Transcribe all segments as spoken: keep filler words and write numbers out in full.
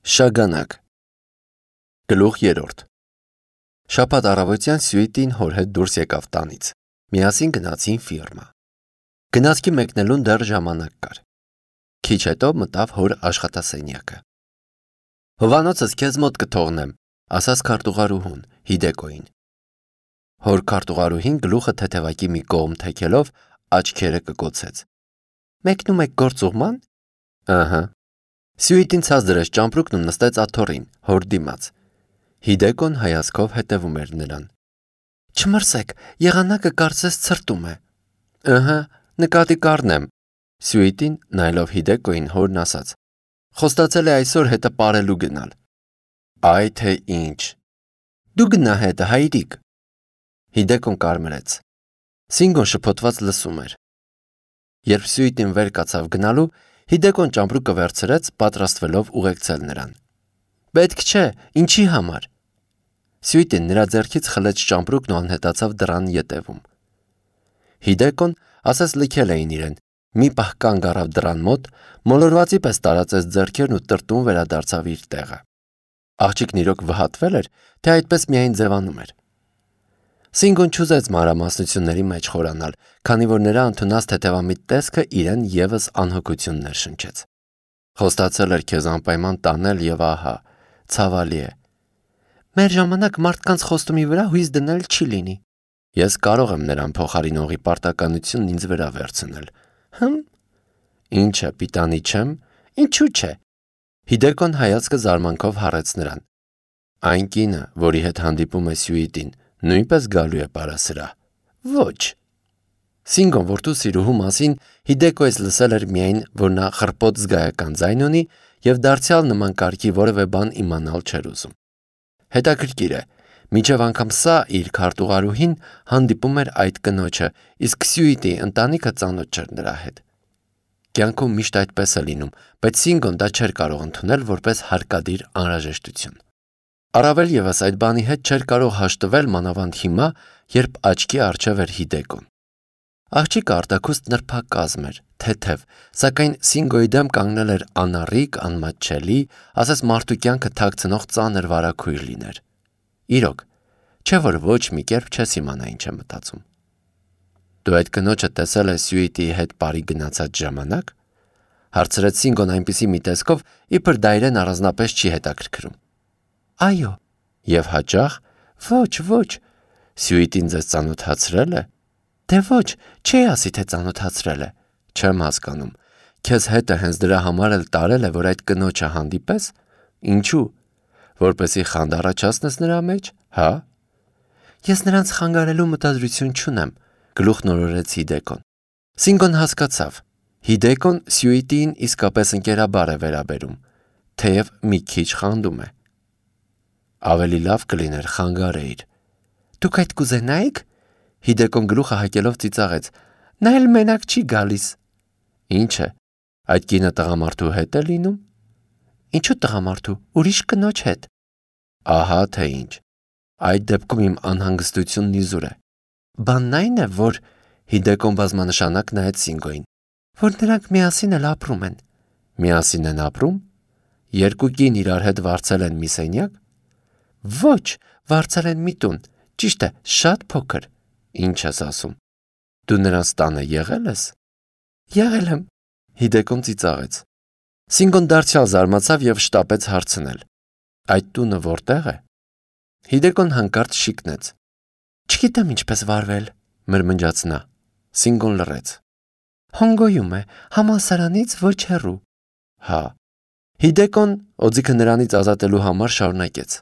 Շագանակ Գլուխ երրորդ Շաբաթ առավոտյան Սյուիտին հոր հետ դուրս եկավ տանից։ Միասին գնացին ֆիրմա։ Գնացքի մեկնելուն դեռ ժամանակ կար։ Քիչ հետո մտավ հոր աշխատասենյակը։ Հովանոցս քեզ մոտ կթողնեմ, ասաց քարտուղարուհուն Հիդեկոին։ Հոր քարտուղարուհին գլուխը թեթևակի մի կողմ թեքելով աչքերը կկոցեց։ Մեկնում եք գործուղման։ Ահա։ Սյուիտին ցած դրեց ճամպրուկն ու նստեց աթոռին, հոր դիմաց։ Հիդեկոն հայացքով հետևում էր նրան։ Չմրսեք, եղանակը կարծես ցրտում է։ Ըհը, նկատի կառնեմ։ Սյուիտին նայելով Հիդեկոին հորն ասաց. Խոստացել է այսօր հետը պարելու գնալ։ Այ թե ինչ։ Դու գնա հետը, հայրիկ։ Հիդեկոն կարմրեց։ Սինգոն շփոթված լսում էր։ Երբ Սյուիտին վեր կացավ գնալու, Հիդեկոն ճամպրուկը վերցրեց, պատրաստվելով ուղեկցել նրան։ Պետք չէ, ինչի համար։ Սյուիտին նրա ձեռքից խլեց ճամպրուկն ու անհետացավ դռան ետևում։ Հիդեկոն ասես լքել էին իրեն, մի պահ կանգ առավ դռան մոտ, մոլորվածի պես տարածեց ձեռքերն ու տրտում վերադարձավ իր տեղը։ Աղջիկն իրոք վհատվել էր, թե այդպես միայն ձևանում էր։ Սինգոն չուզեց մանրամասնությունների մեջ խորանալ, քանի որ նրա ընդունած թեթևամիտ տեսքը իրեն եւս անհոգություններ շնչեց։ Խոստացել էր քեզ անպայման տանել եւ ահա, ցավալի է։ Մեր ժամանակ մարդկանց խոստումի վրա հույս դնել չի լինի։ Ես կարող եմ նրան փոխարինողի պարտականությունն ինձ վրա վերցնել։ Հմ։ Ինչ է, պիտանի չեմ։ Ինչու՞ չէ։ Հիդեկոն հայացքը զարմանքով հառեց նրան։ Այն կինը, որի հետ հանդիպում է Սյուիտին, նույնպես գալու է պարասրահ։ Ոչ։ Սինգոն որդու սիրուհու մասին Հիդեկոյից լսել էր միայն, որ նա խռպոտ զգայական ձայն ունի եւ դարձյալ նման կարգի որևէ բան իմանալ չէր ուզում։ Հետաքրքիր է, մինչև անգամ սա իր քարտուղարուհին հանդիպում էր այդ կնոջը, իսկ Սյուիտի ընտանիքը ծանոթ չէր նրա հետ։ Կյանքում միշտ այդպես է լինում, բայց Սինգոն դա չէր կարող ընդունել որպես հարկադիր անհրաժեշտություն։ Առավել եւս այդ բանի հետ չէր կարող հաշտվել մանավանդ հիմա, երբ աչքի առջև էր Հիդեկոն։ Աղջիկը արտաքուստ նրբակազմ էր, թեթև, սակայն Սինգոյի դեմ կանգնել էր անառիկ, անմատչելի, ասես մարդու կյանքը թաքցնող ծանր վարագույր լիներ։ Իրոք, չէ՞ որ ոչ մի կերպ չես իմանա ինչ է մտածում։ Դու այդ կնոջը տեսել ես Սյուիտի հետ բարի գնացած ժամանակ։ Հարցրեց Սինգոն այնպիսի մի տեսքով, իբր դա իրեն առանձնապես չի հետաքրքրում։ Այո։ Եվ հաճախ։ Ոչ, ոչ։ Սյուիտին ձեզ ծանոթացրել է։ Դե ոչ, չի ասի թե ծանոթացրել է։ Չեմ հասկանում։ Քեզ հետը հենց դրա համար էլ տարել է, որ այդ կնոջը հանդիպես։ Ինչու։ Որպեսի խանդ առաջացնես նրա մեջ, հա։ Ես նրանց խանգարելու մտադրություն չունեմ, գլուխ նորորեց Հիդեկոն։ Սինգոն հասկացավ։ Հիդեկոն Սյուիտին իսկապես ընկերաբար է վերաբերում, թեև մի քիչ խանդում է։ Ավելի լավ կլիներ խանգարեիր։ Դուք այդ կուզենայիք։ Հիդեկոն գլուխը հակելով ծիծաղեց։ Նա էլ մենակ չի գալիս։ Ինչ է, այդ կինը տղամարդու հետ է լինում։ Ինչու տղամարդու, ուրիշ կնոջ հետ։ Ահա թե ինչ։ Այդ դեպքում իմ անհանգստությունն իզուր է։ Բանն այն է, որ Հիդեկոն բազմանշանակ նայեց Սինգոյին, որ նրանք միասին էլ ապրում են։ Միասին են ապրում։ Երկու կին իրար հետ վարձել են մի սենյակ։ Ոչ, վարձել են մի տուն, ճիշտ է, շատ փոքր։ Ինչ ես ասում։ Դու նրանց տանը եղել ես։ Եղել եմ։ Հիդեկոն ծիծաղեց։ Սինգոն դարձյալ զարմացավ եւ շտապեց հարցնել. Այդ տունը որտեղ է։ Հիդեկոն հանկարծ շիկնեց։ Չգիտեմ ինչպես վարվել, մրմնջաց նա։ Սինգոն լռեց։ Հոնգոյում է, համալսարանից ոչ հեռու։ Հա։ Հիդեկոն օձիքը նրանից ազատելու համար շարունակեց.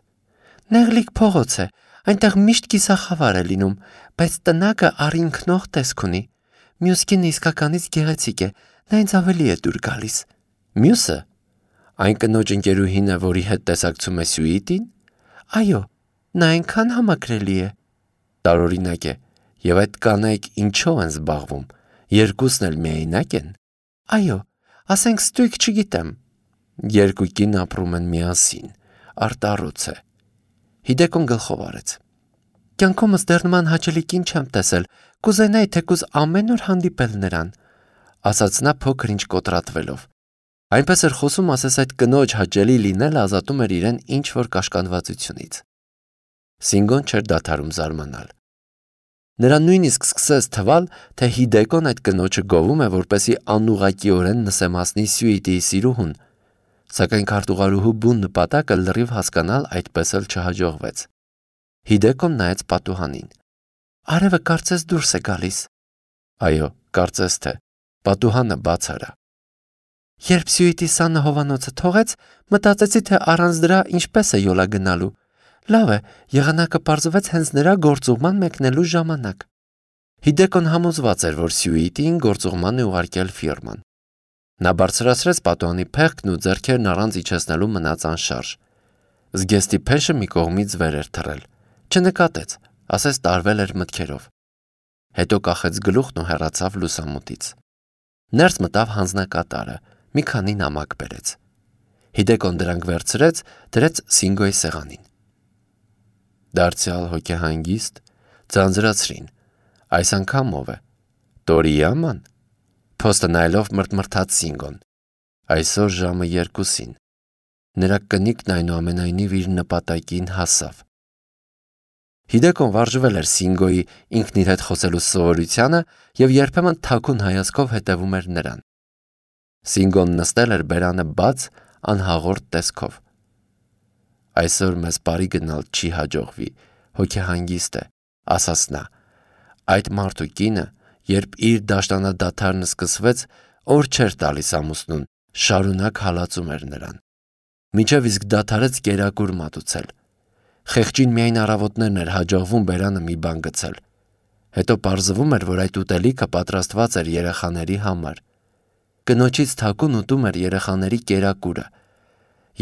Նեղլիկ փողոց է, այնտեղ միշտ կիսախավար է լինում, բայց տնակը առինքնող տեսք ունի։ Մյուս կինը իսկականից գեղեցիկ է, նա ինձ ավելի է դուր գալիս։ Մյուսը։ Այն կնոջ ընկերուհին է, որի հետ տեսակցում է Սյուիտին։ Այո, նա այնքան համակրելի է։ Տարօրինակ է, եւ այդ կանայք ինչով են զբաղվում։ Երկուսն էլ միայնակ են։ Այո, ասենք ստույգ չգիտեմ։ Երկու կին ապրում են միասին։ Արտառոց է։ Հիդեկոն գլխով արեց։ Կյանքումս դեռ նման հաճելի կին չեմ տեսել, կուզենայի թեկուզ ամեն օր հանդիպել նրան, ասաց նա փոքր ինչ կոտրատվելով։ Այնպես էր խոսում, ասես այդ կնոջ հաճելի լինելը ազատում էր իրեն ինչ-որ կաշկանդվածությունից։ Սինգոն չէր դադարում զարմանալ։ Նրան նույնիսկ սկսեց թվալ, թե Հիդեկոն այդ կնոջը գովում է, որպեսզի անուղղակիորեն նսեմացնի Սյուիտիի սիրուհուն, սակայն քարտուղարուհու բուն նպատակը լրիվ հասկանալ այդպես էլ չհաջողվեց։ Հիդեկոն նայեց պատուհանին։ Արևը կարծես դուրս է գալիս։ Այո, կարծես թե, պատուհանը բաց արա։ Երբ Սյուիտի սանը հովանոցը թողեց, մտածեցի, թե առանց դրա ինչպես է յոլա գնալու։ Լավ է, եղանակը պարզվեց հենց նրա գործուղման մեկնելու ժամանակ։ Հիդեկոն համոզված էր, որ Սյուիտին գործուղման է ուղարկել ֆիրման։ Նա բարձրացրեց պատուհանի փեղկն ու ձեռքերն առանց իջեցնելու մնաց անշարժ։ Զգեստի փեշը մի կողմից վեր էր թռել։ Չնկատեց, ասես տարվել էր մտքերով։ Հետո կախեց գլուխն ու հեռացավ լուսամուտից։ Ներս մտավ հանձնակատարը, մի քանի նամակ բերեց։ Հիդեկոն դրանք վերցրեց, դրեց Սինգոյի սեղանին։ Դարձյալ հոգեհանգիստ, ձանձրացրին։ Այս անգամ ով է։ Տորիաման։ Փոստը նայելով մրթմրթաց Սինգոն։ Այսօր ժամը երկուսին։ Նրա կնիկն այնուամենայնիվ իր նպատակին հասավ։ Հիդեկոն վարժվել էր Սինգոյի ինքն իր հետ խոսելու սովորությանը և երբեմն թաքուն հայացքով հետևում էր նրան։ Սինգոն նստել էր բերանը բաց, անհաղորդ տեսքով։ Այսօր մեզ բարի գնալ չի հաջողվի, հոգեհանգիստ է, ասաց նա։ Այդ մարդու կինը, երբ իր դաշտանադադարն սկսվեց, օր չէր տալիս ամուսնուն, շարունակ հալածում էր նրան։ Մինչև իսկ դադարեց կերակուր մատուցել։ Խեղճին միայն առավոտներն էր հաջողվում բերանը մի բան գցել։ Հետո պարզվում էր, որ այդ ուտելիքը պատրաստված էր երեխաների համար։ Կնոջից թաքուն ուտում էր երեխաների կերակուրը։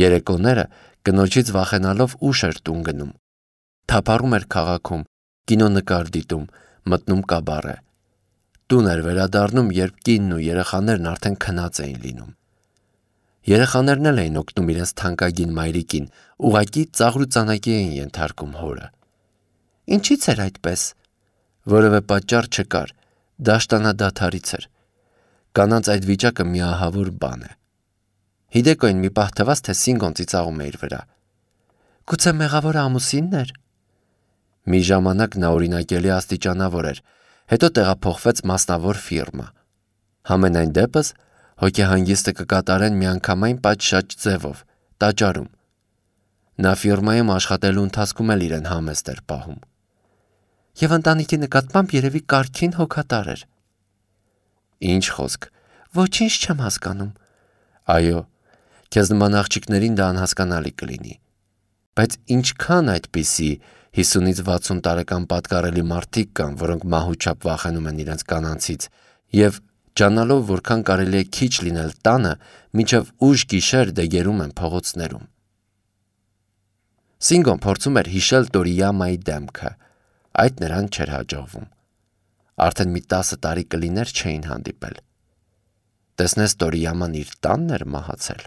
Երեկոները կնոջից վախենալով ուշ էր տուն գնում։ Թափառում էր քաղաքում, կինոնկար դիտում, մտնում կաբարե։ Տուն էր վերադառնում, երբ կինն ու երեխաներն արդեն քնած էին լինում։ Երեխաներն էլ էին օգնում իրենց թանկագին մայրիկին, ուղղակի ծաղրուծանակի էին ենթարկում հորը։ Ինչի՞ց էր այդպես։ Որևէ պատճառ չկար, դաշտանադադարից էր։ Կանանց այդ վիճակը միահավոր բան է։ Հիդեկոին մի պահ թվաց, թե Սինգոն ծիծաղում է իր վրա։ Գուցե մեղավորը ամուսինն էր։ Մի ժամանակ նա օրինակելի աստիճանավոր էր, հետո տեղափոխվեց մասնավոր ֆիրմա։ Համենայն դեպս հոգեհանգիստը կկատարեն միանգամայն պատշաճ ձևով, տաճարում։ Նա ֆիրմայում աշխատելու ընթացքում էլ իրեն համեստ էր պահում։ Եվ ընտանիքի նկատմամբ երևի կարգին հոգատար էր։ Ինչ խոսք, ոչինչ չեմ հասկանում։ Այո, քեզ նման աղջիկներին դա անհասկանալի կլինի։ Բայց ինչքան այդպիսի հիսունից վաթսուն տարեկան պատկառելի մարդիկ կան, որոնք մահուչապ վախենում են իրենց կանանցից և ջանալով որքան կարելի է քիչ լինել տանը, մինչև ուշ գիշեր դեգերում են փողոցներում։ Սինգոն փորձում էր հիշել Տորիամայի դեմքը, այդ նրան չէր հաջողվում։ Արդեն մի տասը տարի կլիներ չէին հանդիպել։ Տեսնես Տորիաման իր տանն էր մահացել։